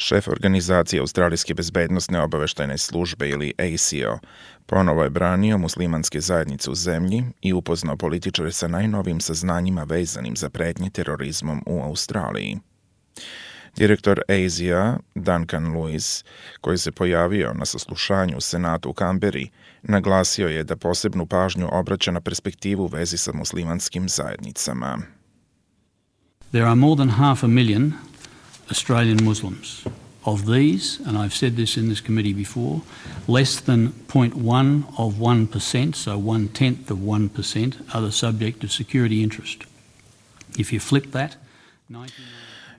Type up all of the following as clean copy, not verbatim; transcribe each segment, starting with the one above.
Šef organizacije Australijske bezbednosne obaveštajne službe ili ASIO ponovo je branio muslimanske zajednice u zemlji i upoznao političare sa najnovijim saznanjima vezanim za pretnje terorizmom u Australiji. Direktor ASIO, Duncan Lewis, koji se pojavio na saslušanju u Senatu u Kamberi, naglasio je da posebnu pažnju obraća na perspektivu u vezi sa muslimanskim zajednicama. There are more than 500,000 Australian Muslims. Of these, and I've said this in this committee before, less than 0.1 of 1%, so 1/10 of 1%, are the subject of security interest. If you flip that,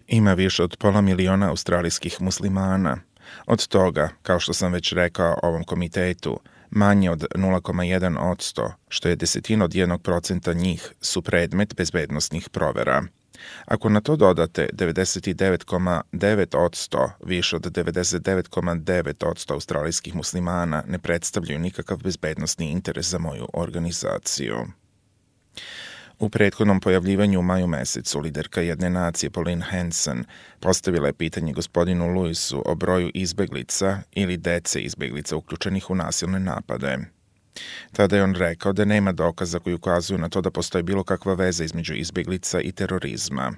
ima više od 500,000 australijskih muslimana. Od toga, kao što sam već rekao ovom komitetu, manje od 0,1%, što je 1/10 njih, su predmet bezbednosnih provera. Ako na to dodate 99,9%, više od 99,9% australijskih muslimana ne predstavljaju nikakav bezbednosni interes za moju organizaciju. U prethodnom pojavljivanju u maju mesecu liderka jedne nacije Pauline Hanson postavila je pitanje gospodinu Lewisu o broju izbeglica ili dece izbeglica uključenih u nasilne napade. Tada je on rekao da nema dokaza koji ukazuju na to da postoji bilo kakva veza između izbeglica i terorizma.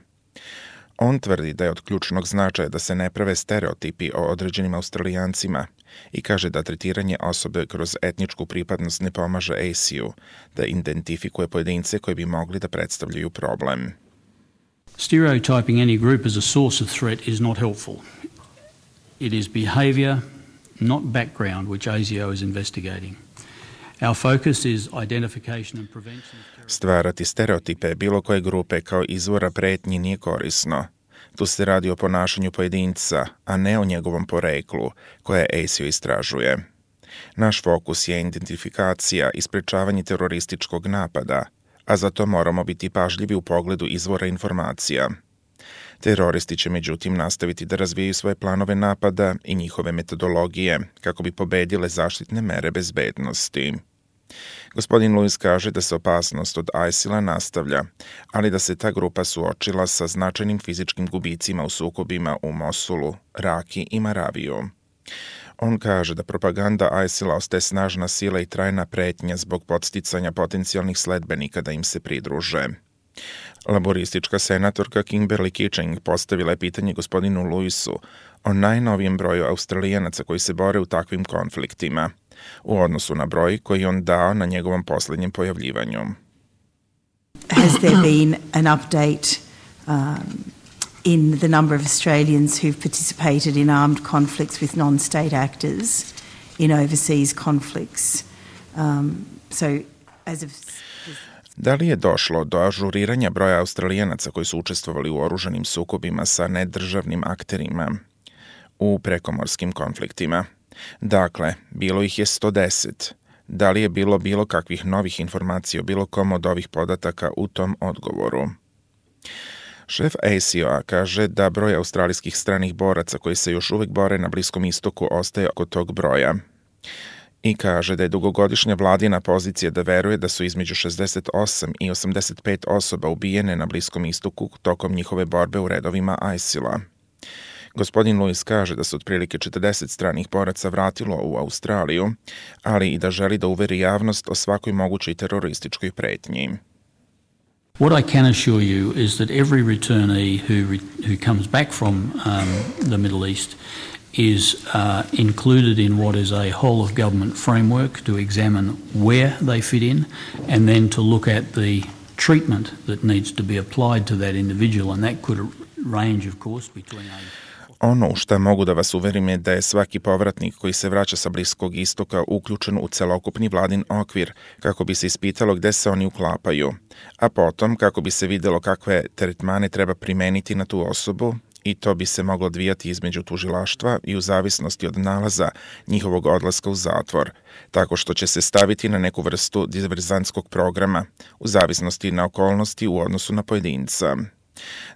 On tvrdi da je od ključnog značaja da se ne prave stereotipi o određenim Australijancima i kaže da tretiranje osobe kroz etničku pripadnost ne pomaže ASIO da identifikuje pojedince koji bi mogli da predstavljaju problem. Stereotyping any group as a source of threat is not helpful. It is behaviour, not background, which ASIO is investigating. Our focus is identification and prevention. Stvarati stereotipe bilo koje grupe kao izvora pretnji nije korisno. Tu se radi o ponašanju pojedinca, a ne o njegovom poreklu, koje ASIO istražuje. Naš fokus je identifikacija i sprečavanje terorističkog napada, a zato moramo biti pažljivi u pogledu izvora informacija. Teroristi će međutim nastaviti da razvijaju svoje planove napada i njihove metodologije kako bi pobedile zaštitne mere bezbednosti. Gospodin Lewis kaže da se opasnost od ISIL-a nastavlja, ali da se ta grupa suočila sa značajnim fizičkim gubicima u sukobima u Mosulu, Raki i Maraviju. On kaže da propaganda ISIL-a ostaje snažna sila i trajna pretnja zbog podsticanja potencijalnih sledbenika da im se pridruže. Laboristička senatorka Kimberly Kitching postavila je pitanje gospodinu Lewisu o najnovijem broju Australijanaca koji se bore u takvim konfliktima, u odnosu na broj koji on dao na njegovom posljednjem pojavljivanju. Has there been an update in the number of Australians who've participated in armed conflicts with non-state actors in overseas conflicts? Da li je došlo do ažuriranja broja Australijanaca koji su učestvovali u oružanim sukobima sa nedržavnim akterima u prekomorskim konfliktima? Dakle, bilo ih je 110. Da li je bilo kakvih novih informacija o bilo kom od ovih podataka u tom odgovoru? Šef ASIO-a kaže da broj australijskih stranih boraca koji se još uvek bore na Bliskom istoku ostaje oko tog broja. I kaže da je dugogodišnja vladina pozicija da veruje da su između 68 i 85 osoba ubijene na Bliskom istoku tokom njihove borbe u redovima ISIL-a. Gospodin Lewis kaže da se otprilike 40 stranih boraca vratilo u Australiju, ali i da želi da uveri javnost o svakoj mogućoj terorističkoj pretnji. What I can assure you is that every returnee who comes back from the Middle East is included in what is a whole of government framework to examine where they fit in and then to look at the treatment that needs to be applied to that individual, and that could range, of course, between Ono u šta mogu da vas uverim je da je svaki povratnik koji se vraća sa Bliskog istoka uključen u celokupni vladin okvir kako bi se ispitalo gde se oni uklapaju, a potom kako bi se videlo kakve tretmane treba primeniti na tu osobu i to bi se moglo odvijati između tužilaštva i u zavisnosti od nalaza njihovog odlaska u zatvor, tako što će se staviti na neku vrstu diverzantskog programa u zavisnosti na okolnosti u odnosu na pojedinca.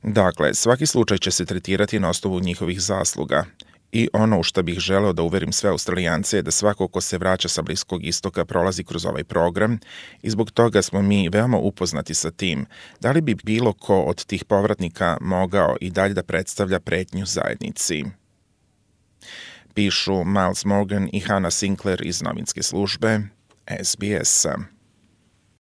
Dakle, svaki slučaj će se tretirati na osnovu njihovih zasluga i ono u što bih želeo da uverim sve Australijance je da svako ko se vraća sa Bliskog istoka prolazi kroz ovaj program i zbog toga smo mi veoma upoznati sa tim da li bi bilo ko od tih povratnika mogao i dalje da predstavlja pretnju zajednici. pišu Miles Morgan i Hannah Sinclair iz novinske službe SBS-a.